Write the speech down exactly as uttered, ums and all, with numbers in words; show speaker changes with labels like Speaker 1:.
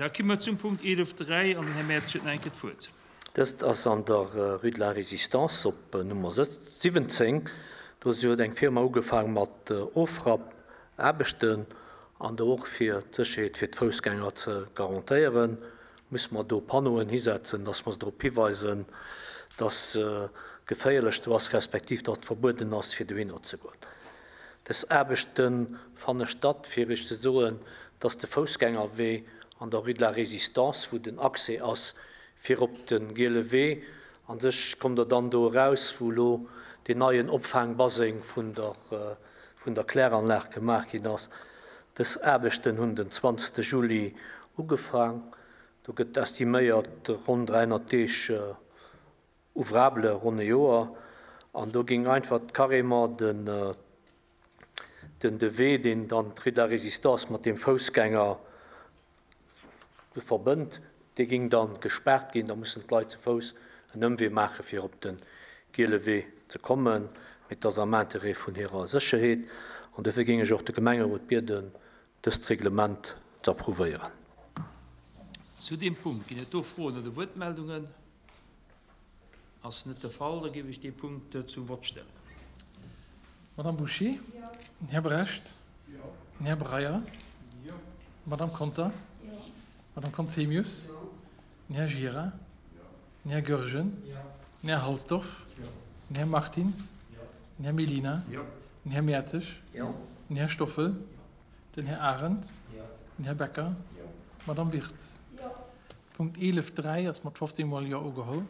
Speaker 1: Da komme mer zum Punkt eelef dräi an den Här Mertsch huet nach eng Kéier d'Wuert.
Speaker 2: Dëst ass an der Rue de la Résistance op Nummer siwwenzéng. Do huet eng Firma ugefaang mat Ofrappaarbechten an do och fir d'Sécherheet fir d'Foussgänger ze garantéieren, musse mer do Panneauen hisetzen, dass mer se drop hiweisen, dass geféierlech do ass, respektiv dass et verbueden ass, fir dohinner ze goen. Dës Aarbechte fanne statt, fir Iech ze soen, dass de Foussgängerwee an der Rue de la Résistance, wou den Accès ass fir op de Giele Wee, a sech kommt Der dann do eraus, wou elo deen neien Opfaangbaseng vun der vun der Kläranlag gemaach ginn ass. Dës Aarbechten hunn den zwanzegste Juli ugefaang. Do gëtt estiméiert ronn dräihonnert Deeg ouvrable, ronn e Joer. An do géing einfach carrément den den de Wee, deen dann d'Rue de la Résistance mat deem Foussgänger verbënnt, dee géing dann gespaart ginn. Da mussen d'Leit ze Fouss en Ëmwee maache fir op de Giele Wee ze kommen. Mee et ass am Interêt vun hirer Sécherheet. An dofir géing ech och de Gemengerot bieden, dëst Reglement ze approuvéieren.
Speaker 1: Zu deem Punkt ginn et do Froen oder Wuertmeldungen? Ass net de Fall, da géif ech dee Punkt zum Vott stellen.
Speaker 3: Madame Bouché? Jo. Den Här Brecht? Jo. Den Här Breyer? Jo. D'Madame Conter? Jo. D'Madame Conzemius? Jo. Den Här Gira? Jo. Den Här Goergen? Jo. Den Här Halsdorf? Jo. Den Här Martins? Jo. Den Här Mellina? Jo. Den Här Mertzig? Jo. Den Här Stoffel? Jo. Den Här Arendt? Jo. Den Här Becker? Jo. D'Madame Wirtz? Jo. Punkt eelef dräi ass mat fofzéng Mol Jo ugeholl.